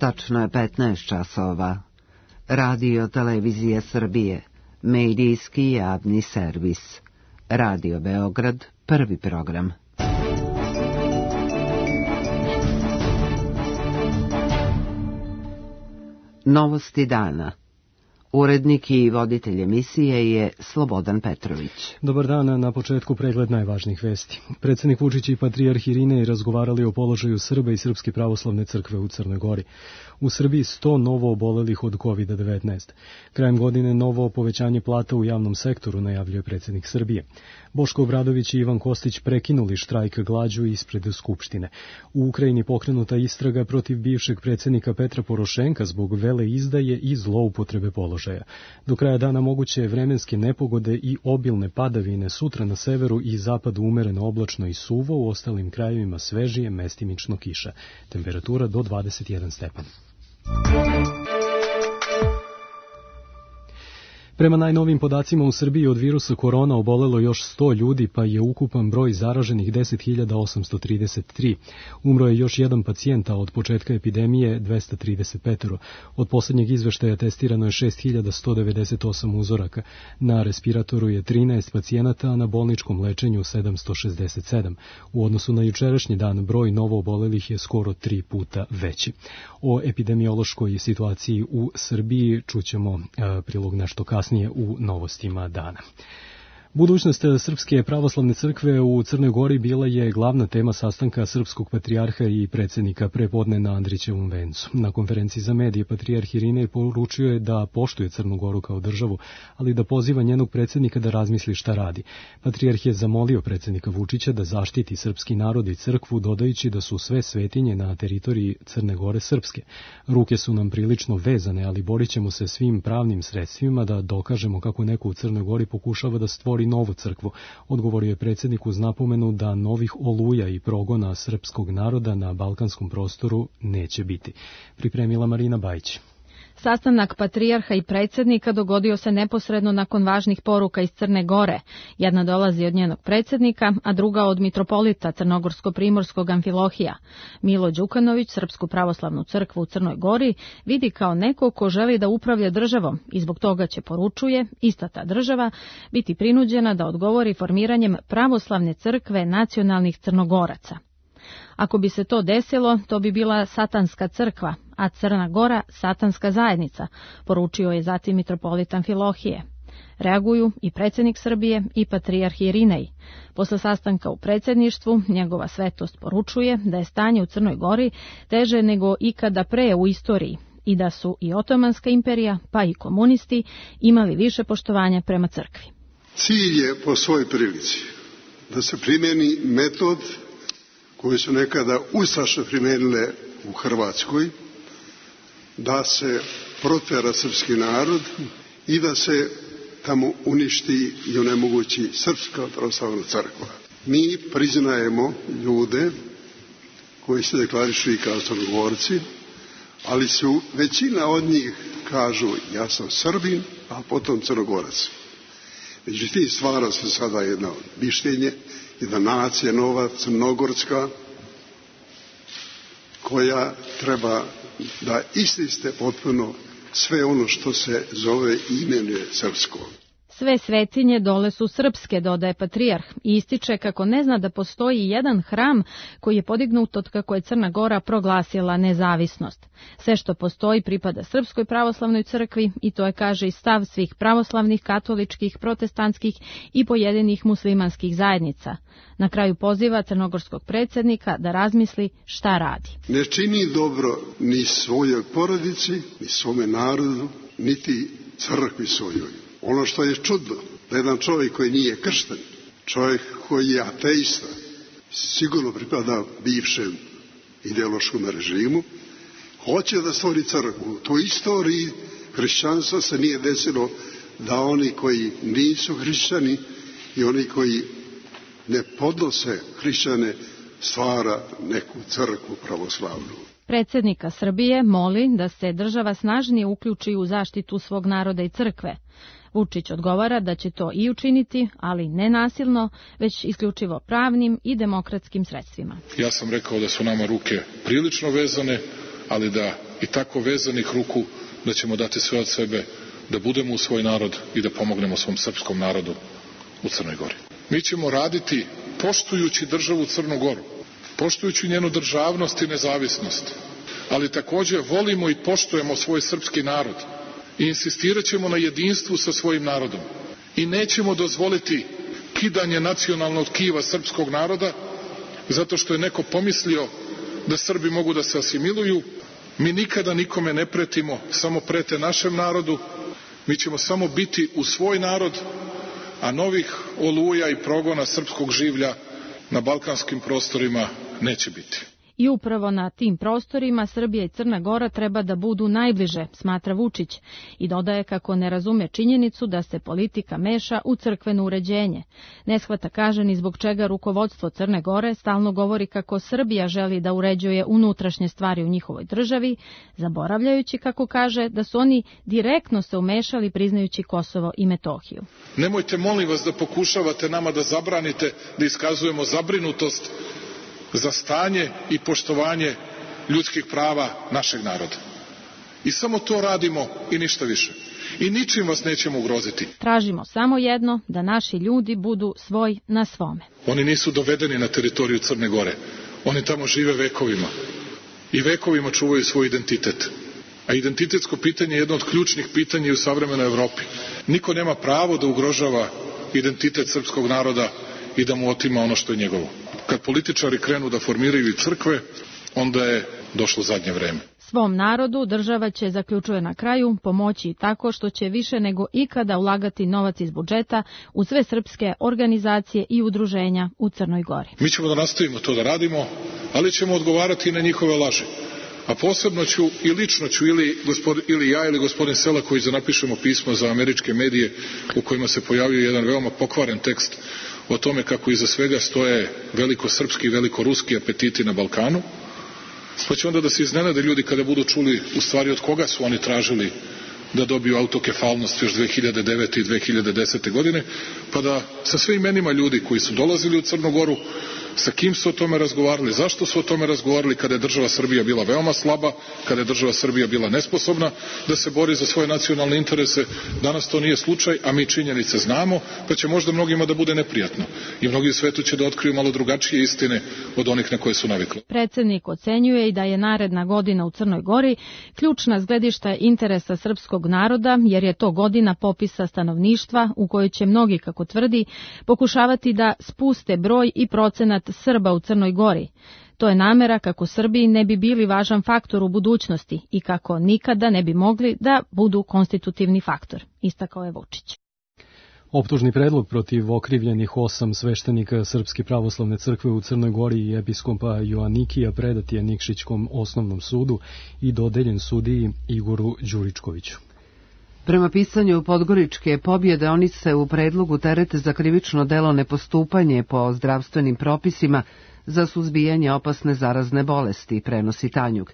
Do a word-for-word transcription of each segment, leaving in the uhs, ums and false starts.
Tačno je petnaest časova. Radio Televizija Srbije, medijski javni servis. Radio Beograd, prvi program. Novosti dana. Urednik i voditelj emisije je Slobodan Petrović. Dobar dan, na početku pregled najvažnijih vesti. Predsjednik Vučić i patrijarh Irinej razgovarali o položaju Srba i Srpske pravoslavne crkve u Crnoj Gori. U Srbiji sto novo obolelih od kovid devetnaest. Krajem godine novo povećanje plata u javnom sektoru, najavljuje predsjednik Srbije. Boško Obradović i Ivan Kostić prekinuli štrajk glađu ispred Skupštine. U Ukrajini pokrenuta istraga protiv bivšeg predsjednika Petra Porošenka zbog veleizdaje i zloupotrebe položaja. Do kraja dana moguće vremenske nepogode i obilne padavine, sutra na severu i zapadu umereno oblačno i suvo, u ostalim krajevima svežije, mestimično kiša. Temperatura do dvadeset jedan stepen. Prema najnovim podacima u Srbiji od virusa korona obolelo još sto ljudi, pa je ukupan broj zaraženih deset hiljada osamsto trideset tri. Umro je još jedan pacijent, a od početka epidemije dvesta trideset pet. Od posljednjeg izveštaja testirano je šest hiljada sto devedeset osam uzoraka. Na respiratoru je trinaest pacijenata, a na bolničkom lečenju sedamsto šezdeset sedam. U odnosu na jučerašnji dan broj novo obolelih je skoro tri puta veći. O epidemiološkoj situaciji u Srbiji čućemo a, prilog nešto kasnije u novostima dana. Budućnost Srpske pravoslavne crkve u Crnoj Gori bila je glavna tema sastanka srpskog patrijarha i predsjednika prepodne na Andrićevom vencu. Na konferenciji za medije patrijarh Irinej poručio je da poštuje Crnu Goru kao državu, ali da poziva njenog predsjednika da razmisli šta radi. Patrijarh je zamolio predsjednika Vučića da zaštiti srpski narod i crkvu, dodajući da su sve svetinje na teritoriji Crne Gore srpske. Ruke su nam prilično vezane, ali borit ćemo se svim pravnim sredstvima da dokažemo kako neko u Crnoj Gori pokušava da stvori novu crkvu, odgovorio je predsjednik uz napomenu da novih oluja i progona srpskog naroda na balkanskom prostoru neće biti. Pripremila Marina Bajić. Sastanak patrijarha i predsjednika dogodio se neposredno nakon važnih poruka iz Crne Gore. Jedna dolazi od njenog predsjednika, a druga od mitropolita Crnogorsko-primorskog Amfilohija. Milo Đukanović Srpsku pravoslavnu crkvu u Crnoj Gori vidi kao neko ko želi da upravlja državom i zbog toga će, poručuje, ista ta država biti prinuđena da odgovori formiranjem pravoslavne crkve nacionalnih Crnogoraca. Ako bi se to desilo, to bi bila satanska crkva, a Crna Gora satanska zajednica, poručio je zatim mitropolit Amfilohije. Reaguju i predsjednik Srbije i patrijarh Irinej. Posle sastanka u predsjedništvu, njegova svetost poručuje da je stanje u Crnoj Gori teže nego ikada pre u istoriji i da su i Otomanska imperija, pa i komunisti imali više poštovanja prema crkvi. Cilj je po svojoj prilici da se primjeni metod koje su nekada ustaše primijenile u Hrvatskoj, da se protera srpski narod i da se tamo uništi i onemogući Srpska pravoslavna crkva. Mi priznajemo ljude koji se deklarišu i kao Crnogorci, ali su većina od njih kažu ja sam Srbin, a potom Crnogorac. Međutim, stvara se sada jedno mišljenje, jedna nacija nova, crnogorska, koja treba da ististe potpuno sve ono što se zove i imenuje srpsko. Sve svetinje dole su srpske, dodaje patrijarh, i ističe kako ne zna da postoji jedan hram koji je podignut od kako je Crna Gora proglasila nezavisnost. Sve što postoji pripada Srpskoj pravoslavnoj crkvi i to je, kaže, i stav svih pravoslavnih, katoličkih, protestantskih i pojedinih muslimanskih zajednica. Na kraju poziva crnogorskog predsjednika da razmisli šta radi. Ne čini dobro ni svojoj porodici, ni svome narodu, niti crkvi svojoj. Ono što je čudno, da jedan čovjek koji nije kršten, čovjek koji je ateista, sigurno pripada bivšem ideološkom režimu, hoće da stvori crkvu. U toj istoriji hrišćanstva se nije desilo da oni koji nisu hrišćani i oni koji ne podnose hrišćane stvara neku crkvu pravoslavnu. Predsjednika Srbije moli da se država snažnije uključi u zaštitu svog naroda i crkve. Vučić odgovara da će to i učiniti, ali ne nasilno, već isključivo pravnim i demokratskim sredstvima. Ja sam rekao da su nama ruke prilično vezane, ali da i tako vezanih ruku da ćemo dati sve od sebe da budemo u svoj narod i da pomognemo svom srpskom narodu u Crnoj Gori. Mi ćemo raditi poštujući državu Crnu Goru, poštujući njenu državnost i nezavisnost, ali takođe volimo i poštujemo svoj srpski narod i insistirat ćemo na jedinstvu sa svojim narodom i nećemo dozvoliti kidanje nacionalnog tkiva srpskog naroda zato što je neko pomislio da Srbi mogu da se asimiluju. Mi nikada nikome ne pretimo, samo prete našem narodu. Mi ćemo samo biti u svoj narod, a novih oluja i progona srpskog življa na balkanskim prostorima neće biti. I upravo na tim prostorima Srbija i Crna Gora treba da budu najbliže, smatra Vučić, i dodaje kako ne razume činjenicu da se politika meša u crkveno uređenje. Ne shvata, kaže, ni zbog čega rukovodstvo Crne Gore stalno govori kako Srbija želi da uređuje unutrašnje stvari u njihovoj državi, zaboravljajući, kako kaže, da su oni direktno se umešali priznajući Kosovo i Metohiju. Nemojte, molim vas, da pokušavate nama da zabranite da iskazujemo zabrinutost za stanje i poštovanje ljudskih prava našeg naroda. I samo to radimo i ništa više. I ničim vas nećemo ugroziti. Tražimo samo jedno, da naši ljudi budu svoj na svome. Oni nisu dovedeni na teritoriju Crne Gore. Oni tamo žive vekovima. I vekovima čuvaju svoj identitet. A identitetsko pitanje je jedno od ključnih pitanja u savremenoj Evropi. Niko nema pravo da ugrožava identitet srpskog naroda i da mu otima ono što je njegovo. Kad političari krenu da formiraju i crkve, onda je došlo zadnje vreme. Svom narodu država će, zaključuje na kraju, pomoći i tako što će više nego ikada ulagati novac iz budžeta u sve srpske organizacije i udruženja u Crnoj Gori. Mi ćemo da nastavimo to da radimo, ali ćemo odgovarati i na njihove laži. A posebno ću i lično ću ili, gospod, ili ja ili gospodin Selaković da napišemo pismo za američke medije u kojima se pojavio jedan veoma pokvaren tekst o tome kako iza svega stoje velikosrpski i velikoruski apetiti na Balkanu, pa će onda da se iznenade ljudi kada budu čuli u stvari od koga su oni tražili da dobiju autokefalnost još dve hiljade devete. i dve hiljade desete. godine, pa da sa sve imenima ljudi koji su dolazili u Crnu Goru, sa kim su o tome razgovarali, zašto su o tome razgovarali kada je država Srbija bila veoma slaba, kada je država Srbija bila nesposobna da se bori za svoje nacionalne interese. Danas to nije slučaj, a mi činjenice znamo, pa će možda mnogima da bude neprijatno. I mnogi u svetu će da otkriju malo drugačije istine od onih na koje su navikli. Predsednik ocenjuje i da je naredna godina u Crnoj Gori ključna s gledišta interesa srpskog naroda, jer je to godina popisa stanovništva u kojoj će mnogi, kako tvrdi, pokušavati da spuste broj i procenat Srba u Crnoj Gori. To je namera kako Srbiji ne bi bili važan faktor u budućnosti i kako nikada ne bi mogli da budu konstitutivni faktor, istakao je Vučić. Optužni predlog protiv okrivljenih osam sveštenika Srpske pravoslavne crkve u Crnoj Gori i episkopa Joanikija predat je Nikšićkom osnovnom sudu i dodeljen sudiji Igoru Đuričkoviću. Prema pisanju Podgoričke pobjede, oni se u predlogu terete za krivično delo nepostupanje po zdravstvenim propisima za suzbijanje opasne zarazne bolesti, prenosi Tanjug.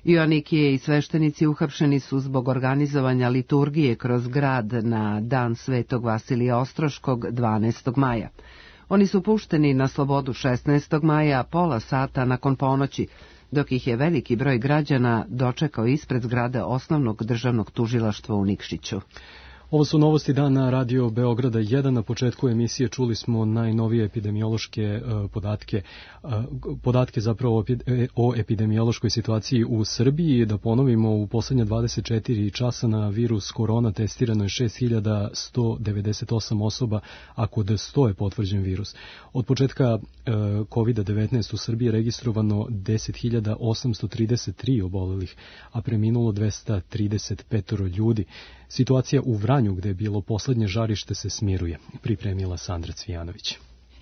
Joanikije i sveštenici uhapšeni su zbog organizovanja liturgije kroz grad na dan Svetog Vasilija Ostroškog dvanaestog maja. Oni su pušteni na slobodu šesnaestog maja, pola sata nakon ponoći, dok ih je veliki broj građana dočekao ispred zgrade osnovnog državnog tužilaštva u Nikšiću. Ovo su novosti dana Radio Beograda jedan. Na početku emisije čuli smo najnovije epidemiološke podatke, podatke zapravo o epidemiološkoj situaciji u Srbiji. Da ponovimo, u poslednja dvadeset četiri časa na virus korona testirano je šest hiljada sto devedeset osam osoba, a kod sto je potvrđen virus. Od početka kovid devetnaest u Srbiji je registrovano deset hiljada osamsto trideset tri obolelih, a preminulo dvesta trideset pet ljudi. Situacija u Vranju, gde je bilo poslednje žarište, se smiruje, pripremila Sandra Cvijanović.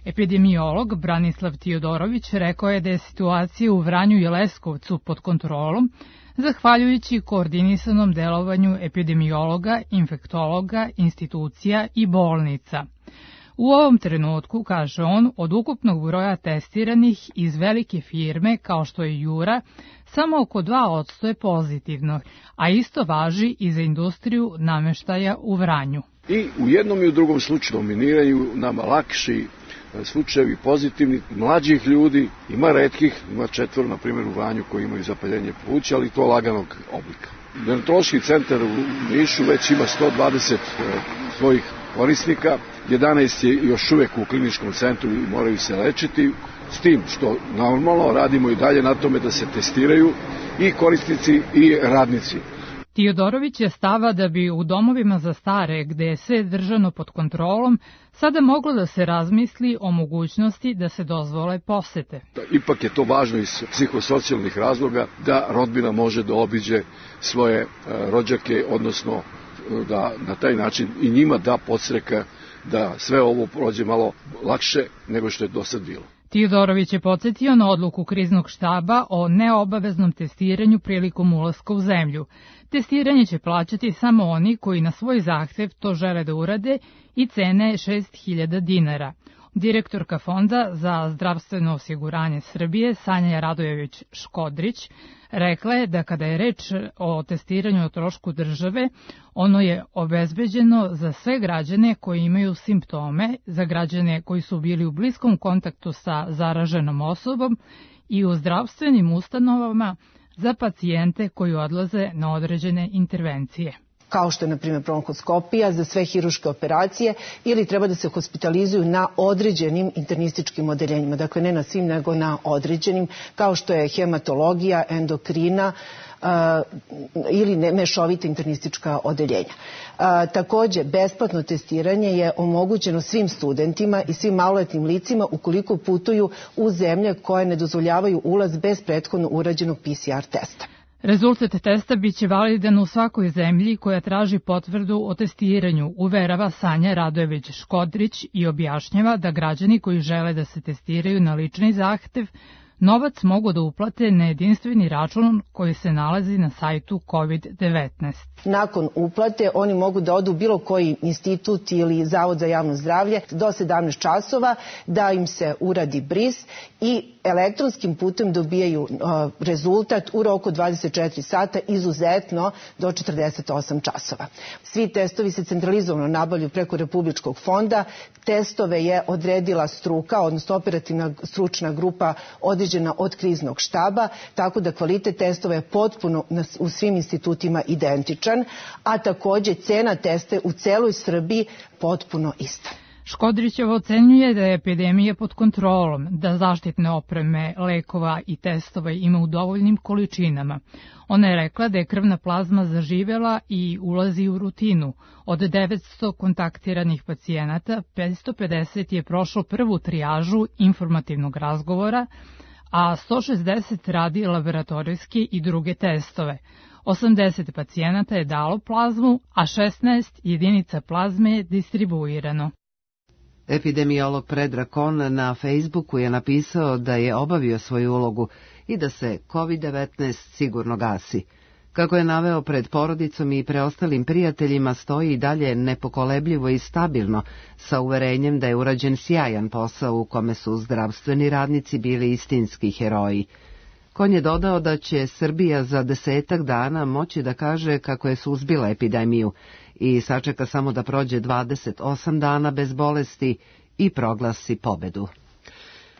Epidemiolog Branislav Tiodorović rekao je da je situacija u Vranju i Leskovcu pod kontrolom, zahvaljujući koordinisanom delovanju epidemiologa, infektologa, institucija i bolnica. U ovom trenutku, kaže on, od ukupnog broja testiranih iz velike firme kao što je Jura, samo oko dva posto je pozitivno, a isto važi i za industriju nameštaja u Vranju. I u jednom i u drugom slučaju dominiraju nama lakši slučajevi pozitivni mlađih ljudi, ima retkih, ima četvor, na primjer u Vranju koji imaju zapaljenje pluća, ali to laganog oblika. Dermatološki centar u Nišu već ima sto dvadeset svojih korisnika, jedanaest je još uvek u kliničkom centru i moraju se lečiti, s tim što normalno radimo i dalje na tome da se testiraju i korisnici i radnici. Tiodorović je stava da bi u domovima za stare, gde je sve držano pod kontrolom, sada moglo da se razmisli o mogućnosti da se dozvole posete. Ipak je to važno iz psihosocijalnih razloga da rodbina može da obiđe svoje rođake, odnosno da na taj način i njima da podstreka da sve ovo prođe malo lakše nego što je do sad bilo. Tiodorović je podsjetio na odluku kriznog štaba o neobaveznom testiranju prilikom ulaska u zemlju. Testiranje će plaćati samo oni koji na svoj zahtev to žele da urade i cena je šest hiljada dinara. Direktorka Fonda za zdravstveno osiguranje Srbije, Sanja Radojević-Škodrić, rekla je da kada je reč o testiranju o trošku države, ono je obezbeđeno za sve građane koji imaju simptome, za građane koji su bili u bliskom kontaktu sa zaraženom osobom i u zdravstvenim ustanovama za pacijente koji odlaze na određene intervencije. Kao što je, na primjer, bronhoskopija za sve hiruške operacije ili treba da se hospitalizuju na određenim internističkim odeljenjima. Dakle, ne na svim, nego na određenim, kao što je hematologija, endokrina uh, ili ne, mešovita internistička odeljenja. Uh, takođe, besplatno testiranje je omogućeno svim studentima i svim maloletnim licima ukoliko putuju u zemlje koje ne dozvoljavaju ulaz bez prethodno urađenog P C R testa. Rezultat testa biće validan u svakoj zemlji koja traži potvrdu o testiranju, uverava Sanja Radojević-Škodrić i objašnjava da građani koji žele da se testiraju na lični zahtev novac mogu da uplate na jedinstveni račun koji se nalazi na sajtu kovid devetnaest. Nakon uplate oni mogu da odu u bilo koji institut ili Zavod za javno zdravlje do sedamnaest časova, da im se uradi bris i elektronskim putem dobijaju uh, rezultat u roku dvadeset četiri sata, izuzetno do četrdeset osam časova. Svi testovi se centralizovano nabavljaju preko Republičkog fonda. Testove je odredila struka, odnosno operativna stručna grupa određena od kriznog štaba, tako da kvalitet testova je potpuno u svim institutima identičan, a takođe cena testa u celoj Srbiji potpuno ista. Škodrićeva ocenjuje da je epidemija pod kontrolom, da zaštitne opreme, lekova i testova ima u dovoljnim količinama. Ona je rekla da je krvna plazma zaživela i ulazi u rutinu. Od devetsto kontaktiranih pacijenata, petsto pedeset je prošlo prvu trijažu informativnog razgovora, a sto šezdeset radi laboratorijske i druge testove. osamdeset pacijenata je dalo plazmu, a šesnaest jedinica plazme je distribuirano. Epidemiolog Predrag Kon na Facebooku je napisao da je obavio svoju ulogu i da se kovid devetnaest sigurno gasi. Kako je naveo, pred porodicom i preostalim prijateljima stoji i dalje nepokolebljivo i stabilno, sa uverenjem da je urađen sjajan posao u kome su zdravstveni radnici bili istinski heroji. Kon je dodao da će Srbija za desetak dana moći da kaže kako je suzbila epidemiju i sačeka samo da prođe dvadeset osam dana bez bolesti i proglasi pobedu.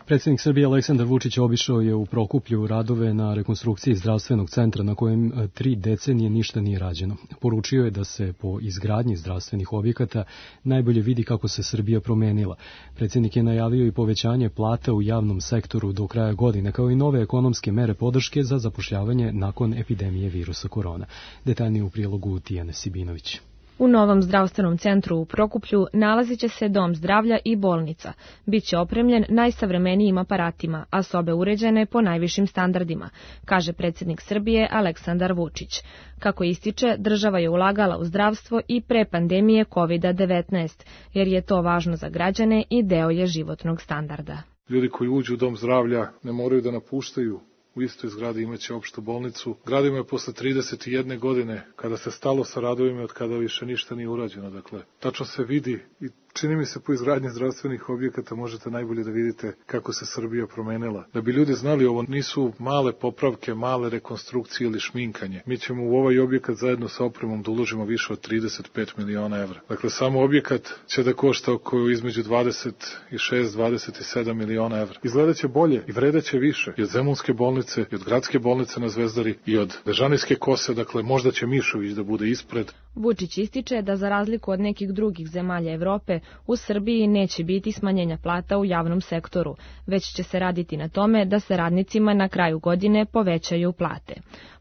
Predsjednik Srbije Aleksandar Vučić obišao je u Prokuplju radove na rekonstrukciji zdravstvenog centra na kojem tri decenije ništa nije rađeno. Poručio je da se po izgradnji zdravstvenih objekata najbolje vidi kako se Srbija promenila. Predsjednik je najavio i povećanje plata u javnom sektoru do kraja godine, kao i nove ekonomske mere podrške za zapošljavanje nakon epidemije virusa korona. Detaljnije u prilogu Tijane Sibinović. U novom zdravstvenom centru u Prokuplju nalazit će se dom zdravlja i bolnica. Biće opremljen najsavremenijim aparatima, a sobe uređene po najvišim standardima, kaže predsjednik Srbije Aleksandar Vučić. Kako ističe, država je ulagala u zdravstvo i pre pandemije kovid devetnaest, jer je to važno za građane i deo je životnog standarda. Ljudi koji uđu u dom zdravlja ne moraju da napuštaju. U istoj zgradi imaće opštu bolnicu. Gradimo je posle trideset jedne godine, kada se stalo sa radovima, od kada više ništa nije urađeno. Dakle, tačno se vidi i čini mi se po izgradnji zdravstvenih objekata možete najbolje da vidite kako se Srbija promenila. Da bi ljudi znali, ovo nisu male popravke, male rekonstrukcije ili šminkanje. Mi ćemo u ovaj objekat zajedno sa opremom da uložimo više od trideset pet miliona evra. Dakle, samo objekat će da košta oko između dvadeset šest do dvadeset sedam miliona evra. Izgledaće bolje i vredeće više i od Zemunske bolnice, i od Gradske bolnice na Zvezdari, i od Bežanijske kose, dakle možda će Mišović da bude ispred. Vučić ističe da za razliku od nekih drugih zemalja Evrope, u Srbiji neće biti smanjenja plata u javnom sektoru, već će se raditi na tome da se radnicima na kraju godine povećaju plate.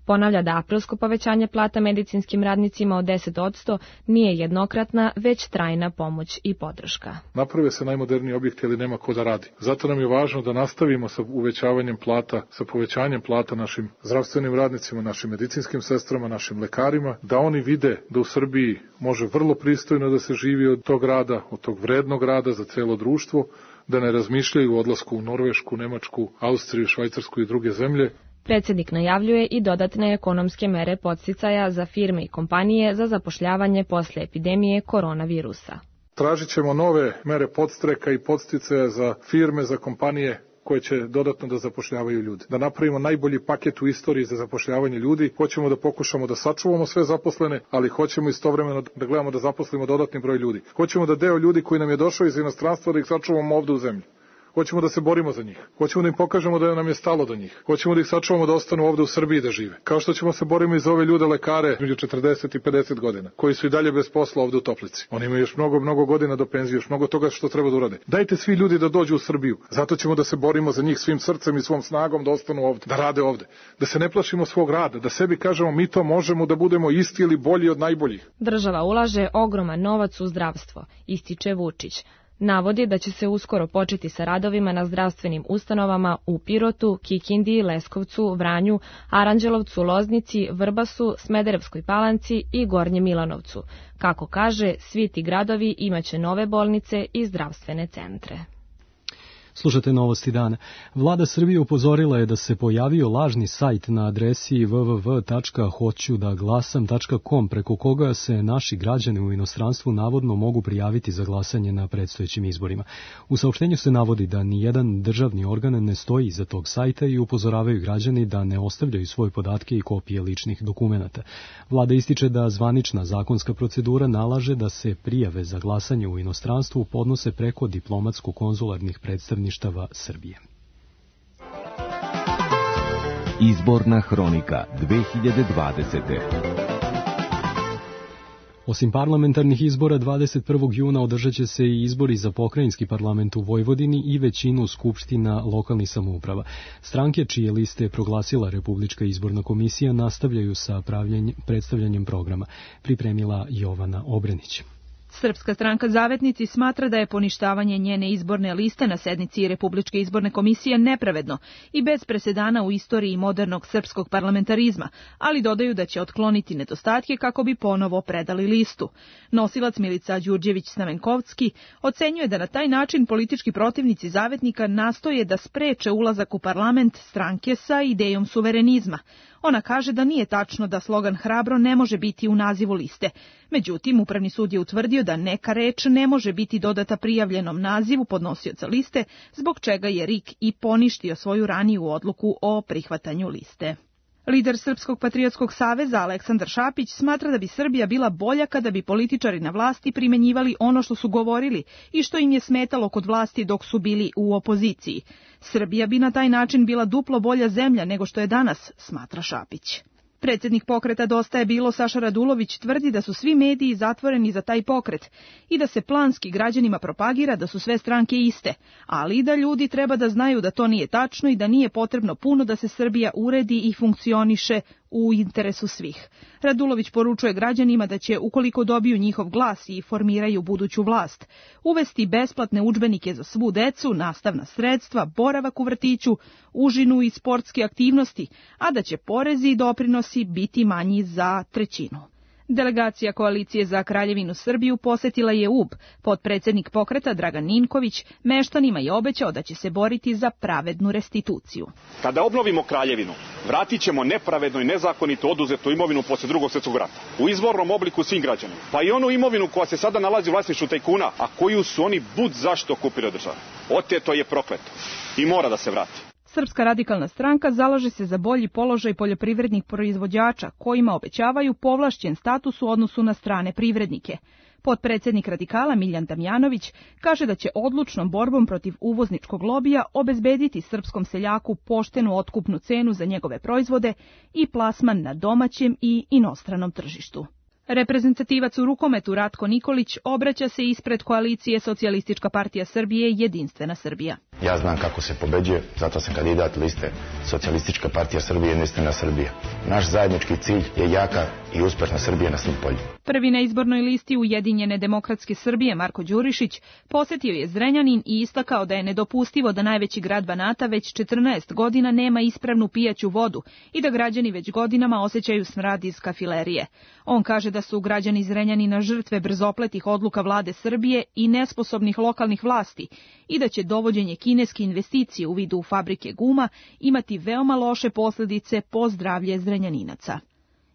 Ponavlja da aprilsko povećanje plata medicinskim radnicima od deset posto nije jednokratna, već trajna pomoć i podrška. Naprave se najmoderniji objekti, ali nema ko da radi. Zato nam je važno da nastavimo sa uvećavanjem plata, sa povećanjem plata našim zdravstvenim radnicima, našim medicinskim sestrama, našim lekarima, da oni vide da u Srbiji može vrlo pristojno da se živi od tog rada, od tog vrednog rada za celo društvo, da ne razmišljaju o odlasku u Norvešku, Nemačku, Austriju, Švajcarsku i druge zemlje. Predsjednik najavljuje i dodatne ekonomske mere podsticaja za firme i kompanije za zapošljavanje posle epidemije koronavirusa. Tražit ćemo nove mere podstreka i podsticaja za firme, za kompanije koje će dodatno da zapošljavaju ljude. Da napravimo najbolji paket u istoriji za zapošljavanje ljudi. Hoćemo da pokušamo da sačuvamo sve zaposlene, ali hoćemo istovremeno da gledamo da zaposlimo dodatni broj ljudi. Hoćemo da deo ljudi koji nam je došao iz inostranstva da ih sačuvamo ovde u zemlji. Hoćemo da se borimo za njih. Hoćemo da im pokažemo da nam je stalo do njih. Hoćemo da ih sačuvamo da ostanu ovde u Srbiji da žive. Kao što ćemo se borimo i za ove ljude lekare među četrdeset i pedeset godina, koji su i dalje bez posla ovde u Toplici. Oni imaju još mnogo, mnogo godina do penzije, još mnogo toga što treba da urade. Dajte svi ljudi da dođu u Srbiju. Zato ćemo da se borimo za njih svim srcem i svom snagom da ostanu ovde, da rade ovde. Da se ne plašimo svog rada, da sebi kažemo mi to možemo, da budemo isti ili bolji od najboljih. Država ulaže ogroman novac u zdravstvo, ističe Vučić. Navodi da će se uskoro početi sa radovima na zdravstvenim ustanovama u Pirotu, Kikindi, Leskovcu, Vranju, Aranđelovcu, Loznici, Vrbasu, Smederevskoj Palanci i Gornjem Milanovcu. Kako kaže, svi ti gradovi imaće nove bolnice i zdravstvene centre. Slušate Novosti dana. Vlada Srbije upozorila je da se pojavio lažni sajt na adresi w w w tačka hoću da glasam tačka com preko koga se naši građani u inostranstvu navodno mogu prijaviti za glasanje na predstojećim izborima. U saopštenju se navodi da nijedan državni organ ne stoji iza tog sajta i upozoravaju građani da ne ostavljaju svoje podatke i kopije ličnih dokumenata. Vlada ističe da zvanična zakonska procedura nalaže da se prijave za glasanje u inostranstvu podnose preko diplomatsko-konzularnih predstavnika Srbije. Izborna hronika dve hiljade dvadesete. Osim parlamentarnih izbora, dvadeset prvog juna održat će se i izbori za pokrajinski parlament u Vojvodini i većinu skupština lokalnih samouprava. Stranke čije liste je proglasila Republička izborna komisija nastavljaju sa predstavljanjem programa, pripremila Jovana Obrenić. Srpska stranka Zavetnici smatra da je poništavanje njene izborne liste na sednici Republičke izborne komisije nepravedno i bez presedana u istoriji modernog srpskog parlamentarizma, ali dodaju da će otkloniti nedostatke kako bi ponovo predali listu. Nosilac Milica Đurđević-Stamenkovski ocenjuje da na taj način politički protivnici Zavetnika nastoje da spreče ulazak u parlament stranke sa idejom suverenizma. Ona kaže da nije tačno da slogan Hrabro ne može biti u nazivu liste. Međutim, Upravni sud je utvrdio da neka reč ne može biti dodata prijavljenom nazivu podnosioca liste, zbog čega je R I K i poništio svoju raniju odluku o prihvatanju liste. Lider Srpskog patriotskog saveza Aleksandar Šapić smatra da bi Srbija bila bolja kada bi političari na vlasti primenjivali ono što su govorili i što im je smetalo kod vlasti dok su bili u opoziciji. Srbija bi na taj način bila duplo bolja zemlja nego što je danas, smatra Šapić. Predsjednik pokreta Dosta je bilo Saša Radulović tvrdi da su svi mediji zatvoreni za taj pokret i da se planski građanima propagira da su sve stranke iste, ali i da ljudi treba da znaju da to nije tačno i da nije potrebno puno da se Srbija uredi i funkcioniše u interesu svih. Radulović poručuje građanima da će, ukoliko dobiju njihov glas i formiraju buduću vlast, uvesti besplatne udžbenike za svu decu, nastavna sredstva, boravak u vrtiću, užinu i sportske aktivnosti, a da će porezi i doprinosi biti manji za trećinu. Delegacija Koalicije za Kraljevinu Srbiju posetila je U B. Potpredsednik pokreta Dragan Ninković meštanima je obećao da će se boriti za pravednu restituciju. Kada obnovimo Kraljevinu, vratit ćemo nepravedno i nezakonito oduzetu imovinu posle Drugog svjetskog rata. U izvornom obliku svim građanima. Pa i onu imovinu koja se sada nalazi u vlasništvu tajkuna, a koju su oni bud zašto okupirali državu. Oteto je prokleto i mora da se vrati. Srpska radikalna stranka zalaže se za bolji položaj poljoprivrednih proizvođača, kojima obećavaju povlašćen status u odnosu na strane privrednike. Potpredsednik radikala Miljan Damjanović kaže da će odlučnom borbom protiv uvozničkog lobija obezbediti srpskom seljaku poštenu otkupnu cenu za njegove proizvode i plasman na domaćem i inostranom tržištu. Reprezentativac u rukometu Ratko Nikolić obraća se ispred koalicije Socijalistička partija Srbije Jedinstvena Srbija. Ja znam kako se pobeđuje, zato sam kandidat liste Socijalistička partija Srbije Jedinstvena Srbija. Naš zajednički cilj je jaka i uspešna Srbija na svim poljima. Prvi na izbornoj listi Ujedinjene demokratske Srbije Marko Đurišić posetio je Zrenjanin i istakao da je nedopustivo da najveći grad Banata već četrnaest godina nema ispravnu pijaću vodu i da građani već godinama osjećaju smrad iz kafilerije. On kaže da su građani Zrenjanina žrtve brzopletih odluka vlade Srbije i nesposobnih lokalnih vlasti i da će dovođenje kineske investicije u vidu fabrike guma imati veoma loše posljedice po zdravlje Zrenjaninaca.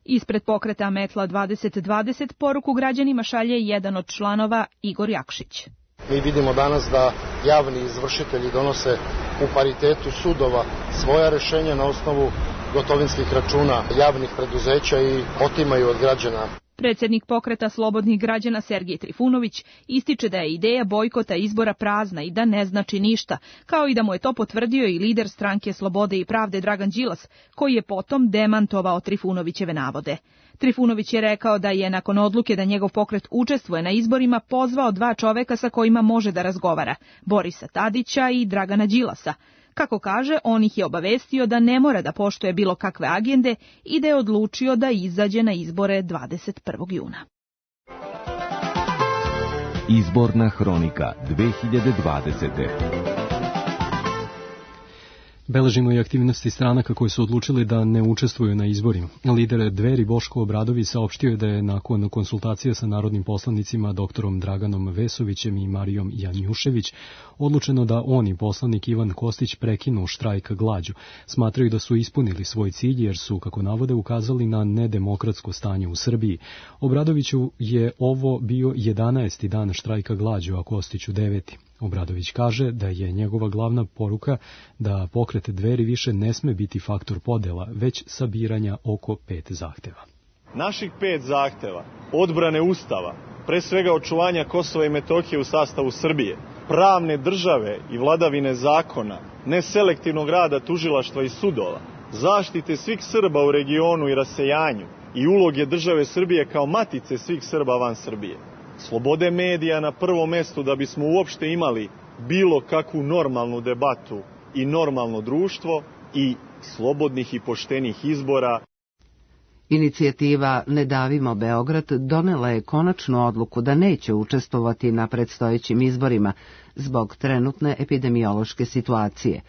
Ispred pokreta Metla dvadeset dvadeset poruku građanima šalje jedan od članova Igor Jakšić. Mi vidimo danas da javni izvršitelji donose u paritetu sudova svoja rešenja na osnovu gotovinskih računa javnih preduzeća i otimaju od građana. Predsjednik pokreta Slobodnih građana Sergej Trifunović ističe da je ideja bojkota izbora prazna i da ne znači ništa, kao i da mu je to potvrdio i lider stranke Slobode i pravde Dragan Đilas, koji je potom demantovao Trifunovićeve navode. Trifunović je rekao da je nakon odluke da njegov pokret učestvuje na izborima pozvao dva čoveka sa kojima može da razgovara, Borisa Tadića i Dragana Đilasa. Kako kaže, on ih je obavestio da ne mora da poštuje bilo kakve agende i da je odlučio da izađe na izbore dvadeset prvog juna. Izborna hronika dve hiljade dvadesete. Beležimo i aktivnosti stranaka koji su odlučili da ne učestvuju na izborima. Lider Dveri Boško Obradović saopštio je da je nakon konsultacija sa narodnim poslanicima doktorom Draganom Vesovićem i Marijom Janjušević odlučeno da on i poslanik Ivan Kostić prekinu štrajk glađu. Smatraju da su ispunili svoj cilj jer su, kako navode, ukazali na nedemokratsko stanje u Srbiji. Obradoviću je ovo bio jedanaesti dan štrajka glađu, a Kostiću deveti. Obradović kaže da je njegova glavna poruka da pokret Dveri više ne sme biti faktor podela, već sabiranja oko pet zahteva. Naših pet zahteva, odbrane Ustava, pre svega očuvanja Kosova i Metohije u sastavu Srbije, pravne države i vladavine zakona, neselektivnog rada tužilaštva i sudova, zaštite svih Srba u regionu i rasejanju i uloge države Srbije kao matice svih Srba van Srbije. Slobode medija na prvom mestu da bismo uopšte imali bilo kakvu normalnu debatu i normalno društvo i slobodnih i poštenih izbora. Inicijativa Ne davimo Beograd donela je konačnu odluku da neće učestvovati na predstojećim izborima zbog trenutne epidemiološke situacije.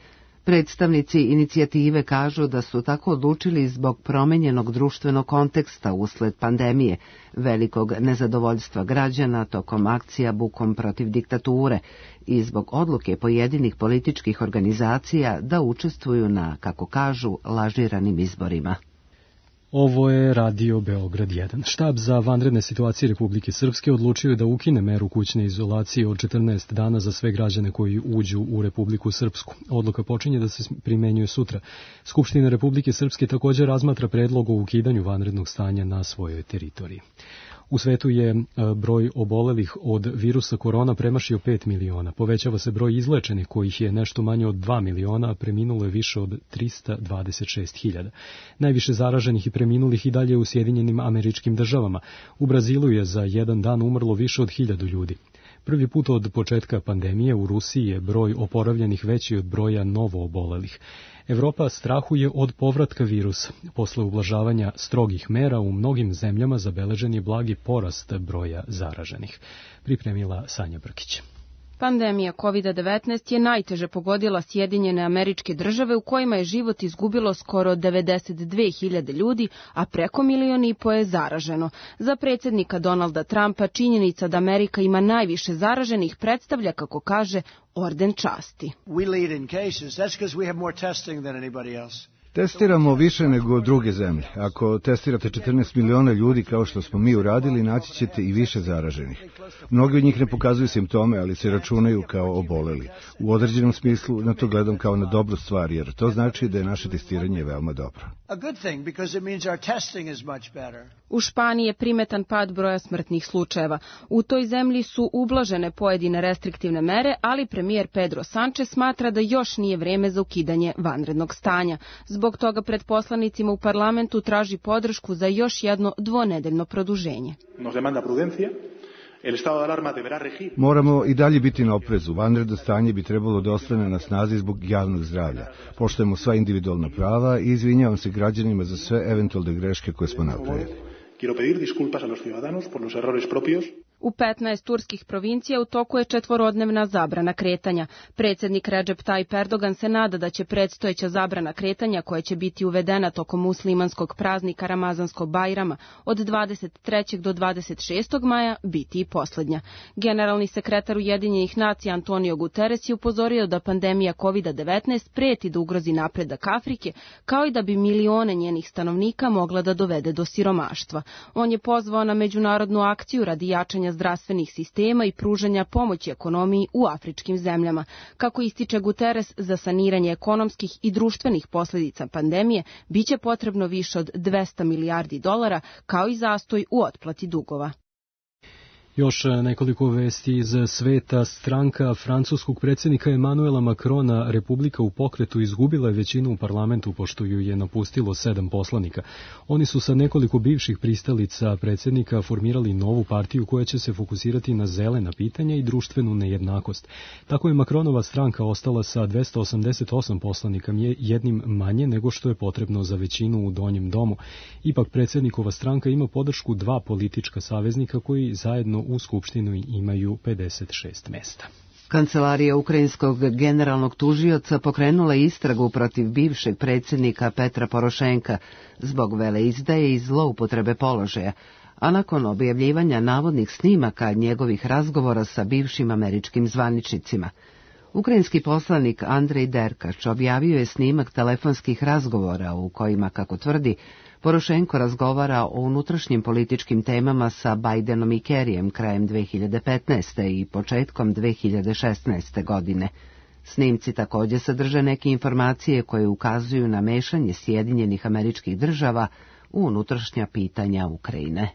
Predstavnici inicijative kažu da su tako odlučili zbog promenjenog društvenog konteksta usled pandemije, velikog nezadovoljstva građana tokom akcija bukom protiv diktature i zbog odluke pojedinih političkih organizacija da učestvuju na, kako kažu, lažiranim izborima. Ovo je Radio Beograd jedan. Štab za vanredne situacije Republike Srpske odlučio je da ukine meru kućne izolacije od četrnaest dana za sve građane koji uđu u Republiku Srpsku. Odluka počinje da se primenjuje sutra. Skupština Republike Srpske također razmatra predlog o ukidanju vanrednog stanja na svojoj teritoriji. U svetu je broj obolelih od virusa korona premašio pet miliona. Povećava se broj izlečenih kojih je nešto manje od dva miliona, a preminulo je više od trista dvadeset šest hiljada. Najviše zaraženih i preminulih i dalje u Sjedinjenim Američkim Državama. U Brazilu je za jedan dan umrlo više od hiljadu ljudi. Prvi put od početka pandemije u Rusiji je broj oporavljenih veći od broja novo obolelih. Evropa strahuje od povratka virusa. Posle ublažavanja strogih mera u mnogim zemljama zabeležen je blagi porast broja zaraženih. Pripremila Sanja Brkić. Pandemija kovid devetnaest je najteže pogodila Sjedinjene Američke Države u kojima je život izgubilo skoro devedeset dve hiljade ljudi, a preko milion i po je zaraženo. Za predsjednika Donalda Trumpa činjenica da Amerika ima najviše zaraženih predstavlja, kako kaže, orden časti. Testiramo više nego druge zemlje. Ako testirate četrnaest miliona ljudi kao što smo mi uradili, naći ćete i više zaraženih. Mnogi od njih ne pokazuju simptome, ali se računaju kao oboleli. U određenom smislu na to gledam kao na dobru stvar, jer to znači da je naše testiranje veoma dobro. U Španiji je primetan pad broja smrtnih slučajeva. U toj zemlji su ublažene pojedine restriktivne mere, ali premijer Pedro Sánchez smatra da još nije vreme za ukidanje vanrednog stanja. Zbog toga pred poslanicima u parlamentu traži podršku za još jedno dvonedeljno produženje. Moramo i dalje biti na oprezu. Vanredno stanje bi trebalo da ostane na snazi zbog javnog zdravlja. Poštujemo sva individualna prava i izvinjavam se građanima za sve eventualne greške koje smo napravili. U petnaest turskih provincija u toku je četvorodnevna zabrana kretanja. Predsjednik Recep Tayyip Erdogan se nada da će predstojeća zabrana kretanja, koja će biti uvedena tokom muslimanskog praznika Ramazanskog Bajrama od dvadeset trećeg do dvadeset šestog maja, biti i posljednja. Generalni sekretar Ujedinjenih nacija Antonio Guterres je upozorio da pandemija kovid devetnaest preti da ugrozi napredak Afrike, kao i da bi milione njenih stanovnika mogla da dovede do siromaštva. On je pozvao na međunarodnu akciju radi jačanja zdravstvenih sistema i pružanja pomoći ekonomiji u afričkim zemljama. Kako ističe Guterres, za saniranje ekonomskih i društvenih posljedica pandemije biće potrebno više od dvesta milijardi dolara, kao i zastoj u otplati dugova. Još nekoliko vesti iz sveta. Stranka francuskog predsjednika Emanuela Macrona, Republika u pokretu, izgubila je većinu u parlamentu pošto ju je napustilo sedam poslanika. Oni su sa nekoliko bivših pristalica predsjednika formirali novu partiju koja će se fokusirati na zelena pitanja i društvenu nejednakost. Tako je Macronova stranka ostala sa dvesta osamdeset osam poslanika, jednim manje nego što je potrebno za većinu u donjem domu. Ipak predsjednikova stranka ima podršku dva politička saveznika koji zajedno u Skupštinu imaju pedeset šest mjesta. Kancelarija ukrajinskog generalnog tužioca pokrenula istragu protiv bivšeg predsjednika Petra Porošenka zbog veleizdaje i zloupotrebe položaja, a nakon objavljivanja navodnih snimaka njegovih razgovora sa bivšim američkim zvaničnicima. Ukrajinski poslanik Andrej Derkač objavio je snimak telefonskih razgovora u kojima, kako tvrdi, Porošenko razgovara o unutrašnjim političkim temama sa Bajdenom i Kerryjem krajem dve hiljade petnaeste. i početkom dve hiljade šesnaeste. godine. Snimci također sadrže neke informacije koje ukazuju na mešanje Sjedinjenih Američkih Država u unutrašnja pitanja Ukrajine.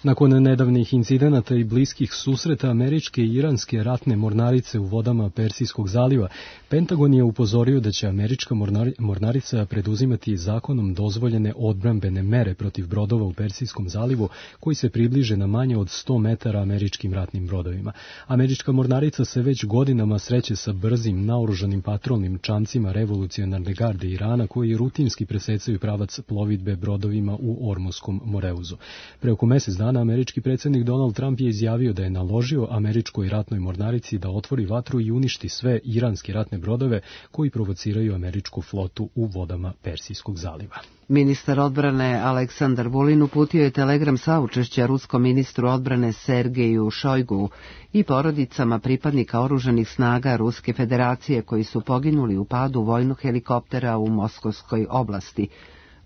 Nakon nedavnih incidenata i bliskih susreta američke i iranske ratne mornarice u vodama Persijskog zaliva, Pentagon je upozorio da će američka mornarica preduzimati zakonom dozvoljene odbrambene mere protiv brodova u Persijskom zalivu koji se približe na manje od sto metara američkim ratnim brodovima. Američka mornarica se već godinama sreće sa brzim, naoružanim patrolnim čamcima revolucionarne garde Irana koji rutinski presecaju pravac plovidbe brodovima u Ormuskom Moreuzu. Pre oko mjesec dana američki predsjednik Donald Trump je izjavio da je naložio američkoj ratnoj mornarici da otvori vatru i uništi sve iranske ratne brodove koji provociraju američku flotu u vodama Persijskog zaliva. Ministar odbrane Aleksandar Vulin uputio je telegram saučešća ruskom ministru odbrane Sergeju Šojgu i porodicama pripadnika oružanih snaga Ruske federacije koji su poginuli u padu vojnog helikoptera u Moskovskoj oblasti.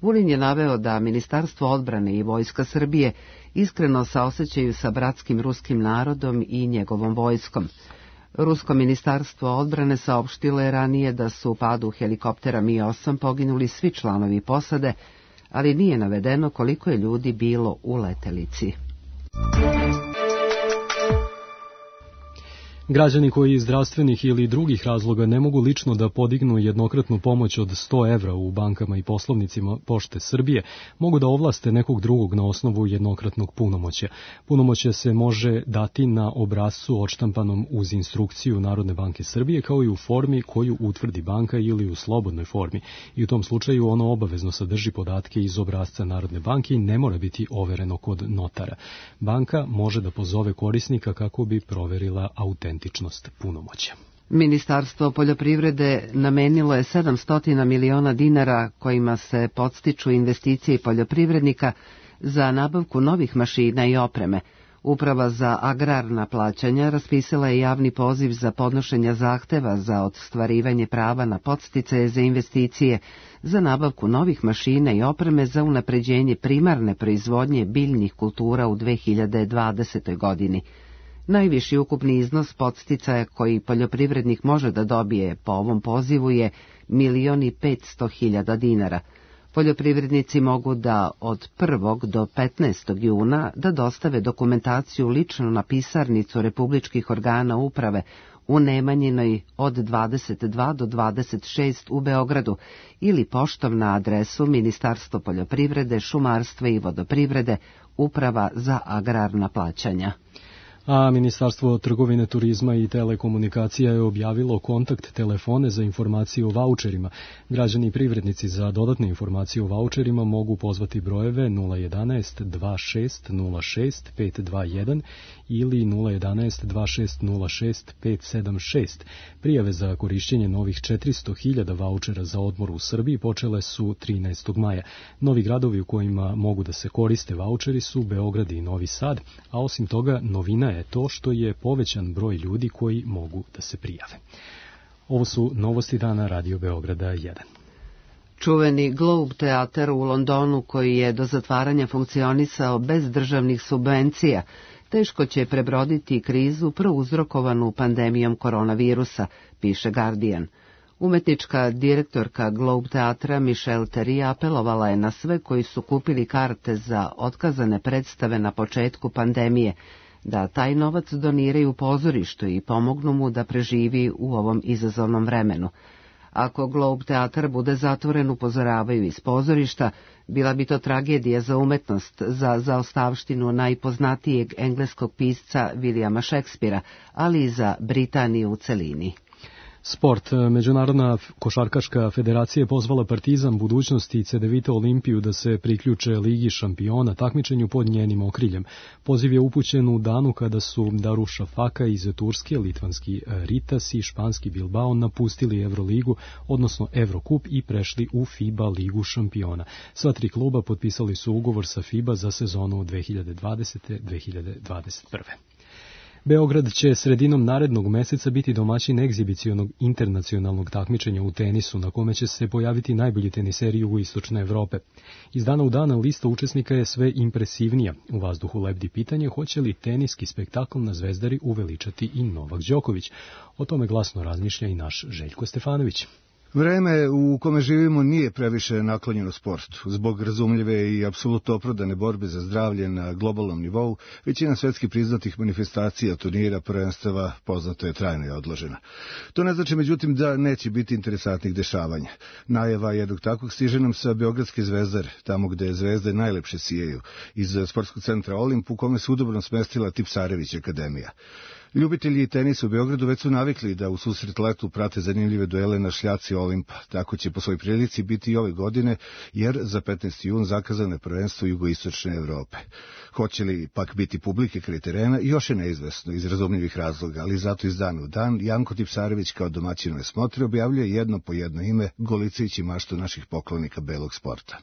Vulin je naveo da Ministarstvo odbrane i Vojska Srbije iskreno saosećaju sa bratskim ruskim narodom i njegovom vojskom. Rusko ministarstvo odbrane saopštilo je ranije da su u padu helikoptera Mi osam poginuli svi članovi posade, ali nije navedeno koliko je ljudi bilo u letelici. Građani koji iz zdravstvenih ili drugih razloga ne mogu lično da podignu jednokratnu pomoć od sto evra u bankama i poslovnicima Pošte Srbije, mogu da ovlaste nekog drugog na osnovu jednokratnog punomoćja. Punomoćje se može dati na obrascu odštampanom uz instrukciju Narodne banke Srbije, kao i u formi koju utvrdi banka ili u slobodnoj formi. I u tom slučaju ono obavezno sadrži podatke iz obrasca Narodne banke i ne mora biti overeno kod notara. Banka može da pozove korisnika kako bi proverila autentičnost autentičnost punomoćja. Ministarstvo poljoprivrede namenilo je sedamsto miliona dinara kojima se podstiču investicije poljoprivrednika za nabavku novih mašina i opreme. Uprava za agrarna plaćanja raspisala je javni poziv za podnošenje zahteva za ostvarivanje prava na podsticaje za investicije, za nabavku novih mašina i opreme za unapređenje primarne proizvodnje biljnih kultura u dve hiljade dvadesetoj godini. Najviši ukupni iznos podsticaja koji poljoprivrednik može da dobije po ovom pozivu je milion i petsto hiljada dinara. Poljoprivrednici mogu da od prvog do petnaestog juna da dostave dokumentaciju lično na pisarnicu republičkih organa uprave u Nemanjinoj od dvadeset dva do dvadeset šest u Beogradu ili poštom na adresu Ministarstvo poljoprivrede, šumarstva i vodoprivrede, Uprava za agrarna plaćanja. A Ministarstvo trgovine, turizma i telekomunikacija je objavilo kontakt telefone za informacije o vaučerima. Građani i privrednici za dodatne informacije o vaučerima mogu pozvati brojeve nula jedanaest dva šest nula šest pet dva jedan ili nula jedanaest dva šest nula šest pet sedam šest. Prijave za korišćenje novih četiristo hiljada vaučera za odmor u Srbiji počele su trinaestog maja. Novi gradovi u kojima mogu da se koriste vaučeri su Beograd i Novi Sad, a osim toga novina je to što je povećan broj ljudi koji mogu da se prijave. Ovo su novosti dana Radio Beograda jedan. Čuveni Globe teatar u Londonu, koji je do zatvaranja funkcionisao bez državnih subvencija, teško će prebroditi krizu prouzrokovanu pandemijom koronavirusa, piše Guardian. Umetnička direktorka Globe teatra Michelle Terry apelovala je na sve koji su kupili karte za otkazane predstave na početku pandemije, da taj novac doniraju pozorištu i pomognu mu da preživi u ovom izazovnom vremenu. Ako Globe teatar bude zatvoren, upozoravaju iz pozorišta, bila bi to tragedija za umetnost, za zaostavštinu najpoznatijeg engleskog pisca Williama Shakespearea, ali i za Britaniju u celini. Sport. Međunarodna košarkaška federacija je pozvala Partizan, Budućnost i Cedevita Olimpiju da se priključe Ligi šampiona takmičenju pod njenim okriljem. Poziv je upućen u danu kada su Daruša Faka iz Turske, litvanski Ritas i španski Bilbao napustili Euroligu, odnosno Evrokup, i prešli u FIBA Ligu šampiona. Sva tri kluba potpisali su ugovor sa FIBA za sezonu dve hiljade dvadesete do dve hiljade dvadeset prve. Beograd će sredinom narednog meseca biti domaćin egzibicionog internacionalnog takmičenja u tenisu, na kome će se pojaviti najbolji teniseri jugoistočne Evrope. Iz dana u dan lista učesnika je sve impresivnija. U vazduhu lebdi pitanje hoće li teniski spektakl na Zvezdari uveličati i Novak Đoković. O tome glasno razmišlja i naš Željko Stefanović. Vreme u kome živimo nije previše naklonjeno sportu. Zbog razumljive i apsolutno opravdane borbe za zdravlje na globalnom nivou, većina svetski priznatih manifestacija, turnira, prvenstava poznato je trajno i odložena. To ne znači međutim da neće biti interesantnih dešavanja. Najava jednog takvog stiže nam sa Beogradske Zvezdare, tamo gde zvezde najlepše sijaju, iz sportskog centra Olimp, u kome se udobno smestila Tipsarević akademija. Ljubitelji tenisa u Beogradu već su navikli da u susret letu prate zanimljive duele na šljaci Olimpa. Tako će po svojoj prilici biti i ove godine, jer za petnaesti jun zakazano je prvenstvo jugoistočne Evrope. Hoće li pak biti publike kraj terena, još je neizvesno iz razumljivih razloga, ali zato iz dana u dan Janko Tipsarević kao domaćinove smotre objavljuje jedno po jedno ime, golicajući maštu naših poklonika belog sporta.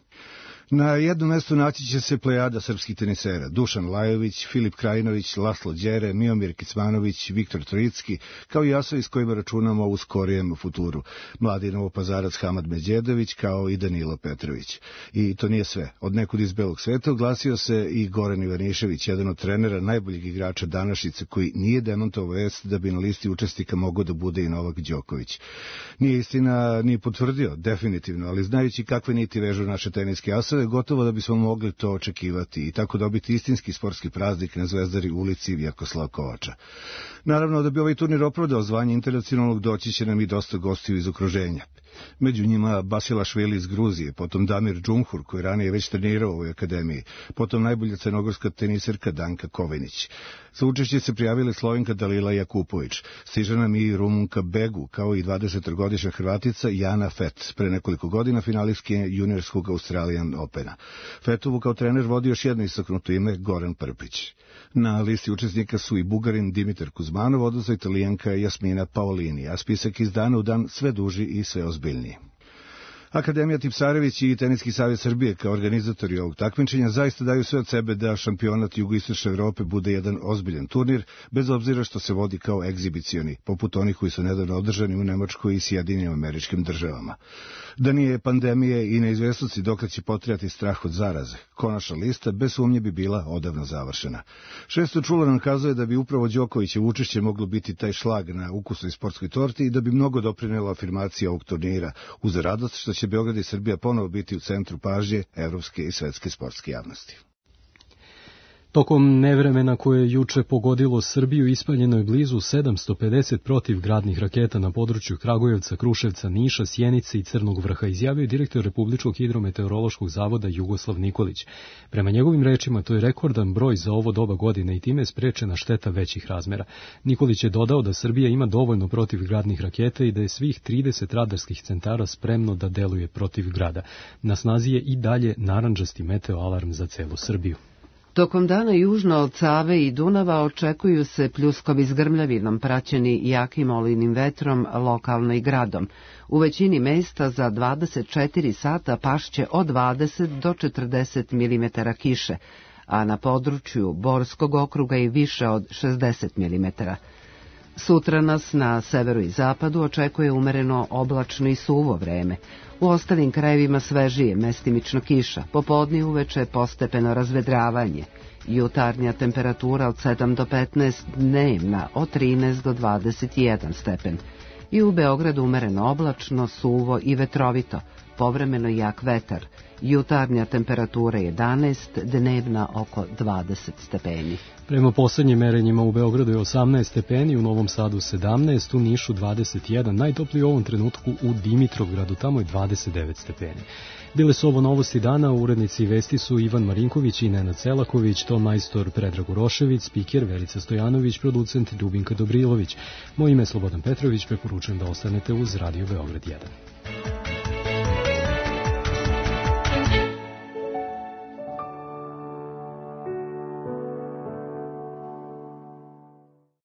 Na jednom mestu naći će se plejada srpskih tenisera: Dušan Lajović, Filip Krajinović, Laslo Đere, Miomir Kicmanović, Viktor Trojicki, kao i asovi s kojima računamo u skorijem futuru: mladi Novopazarac Hamad Međedović, kao i Danilo Petrović. I to nije sve. Od nekud iz belog sveta oglasio se i Goran Ivanišević, jedan od trenera najboljeg igrača današnjice, koji nije demantovao vest da bi na listi učesnika mogao da bude i Novak Đoković. Nije istina ni potvrdio, definitivno, ali znajući kakve niti vežu naše teniske asove, gotovo da bismo mogli to očekivati i tako dobiti istinski sportski praznik na Zvezdari ulici Vjekoslava Kovača. Naravno, da bi ovaj turnir opravdao zvanje internacionalnog, doći će nam i dosta gostiju iz okruženja. Među njima Basilašvili iz Gruzije, potom Damir Džumhur, koji ranije već trenirao u ovoj akademiji, potom najbolja crnogorska teniserka Danka Kovinić. Za učešće se prijavile Slovenka Dalila Jakupović, stiže nam i Rumunka Begu, kao i dvadesetogodišnja Hrvatica Jana Fet, pre nekoliko godina finalistkinja juniorskog Australian Opena. Fetovu kao trener vodi još jedno istaknuto ime, Goran Prpić. Na listi učesnika su i Bugarin Dimitar Kuzmanov, odnosno Italijanka Jasmina Paolini, a spisak iz dana u dan sve duži i sve ozbiljniji. Akademija Tipsarević i Teniski savez Srbije kao organizatori ovog takmičenja zaista daju sve od sebe da šampionat Jugoistočne Evrope bude jedan ozbiljan turnir, bez obzira što se vodi kao egzibicioni, poput onih koji su nedavno održani u Nemačkoj i Sjedinjenim Američkim Državama. Da nije pandemije i neizvesnosti dokle će potrajati strah od zaraze, konačna lista bez sumnje bi bila odavno završena. Šesto čulo nam kazuje da bi upravo Đokovićev učešće moglo biti taj šlag na ukusnoj sportskoj torti i da bi mnogo doprinela afirmacija ovog turnira, uz radost što će Beograd i Srbija ponovo biti u centru pažnje evropske i svetske sportske javnosti. Tokom nevremena koje je juče pogodilo Srbiju ispaljeno je blizu sedamsto pedeset protivgradnih raketa na području Kragujevca, Kruševca, Niša, Sjenice i Crnog Vrha, izjavio je direktor Republičkog hidrometeorološkog zavoda Jugoslav Nikolić. Prema njegovim rečima, to je rekordan broj za ovo doba godine i time je sprečena šteta većih razmera. Nikolić je dodao da Srbija ima dovoljno protivgradnih raketa i da je svih trideset radarskih centara spremno da deluje protiv grada. Na snazi je i dalje narandžasti meteoalarm za celu Srbiju. Tokom dana južno od Save i Dunava očekuju se pljuskovi s grmljavinom praćeni jakim olujnim vetrom, lokalno i gradom. U većini mesta za dvadeset četiri sata pašće od dvadeset do četrdeset milimetara kiše, a na području Borskog okruga i više od šezdeset milimetara. Sutra nas na severu i zapadu očekuje umereno oblačno i suvo vreme. U ostalim krajevima svežije, mestimično kiša, popodne i uveče postepeno razvedravanje. Jutarnja temperatura od sedam do petnaest, dnevna od trinaest do dvadeset jedan stepen. I u Beogradu umereno oblačno, suvo i vetrovito, povremeno jak vetar. Jutarnja temperatura jedanaest, dnevna oko dvadeset stepeni. Prema poslednjim merenjima u Beogradu je osamnaest stepeni, u Novom Sadu sedamnaest, u Nišu dvadeset jedan, najtopliji u ovom trenutku u Dimitrovgradu, tamo je dvadeset devet stepeni. Bile su ovo novosti dana, urednici i vesti su Ivan Marinković i Nenad Selaković, to majstor Predrag Urošević, spiker Verica Stojanović, producent Ljubinka Dobrilović. Moje ime je Slobodan Petrović, preporučujem da ostanete uz Radio Beograd jedan.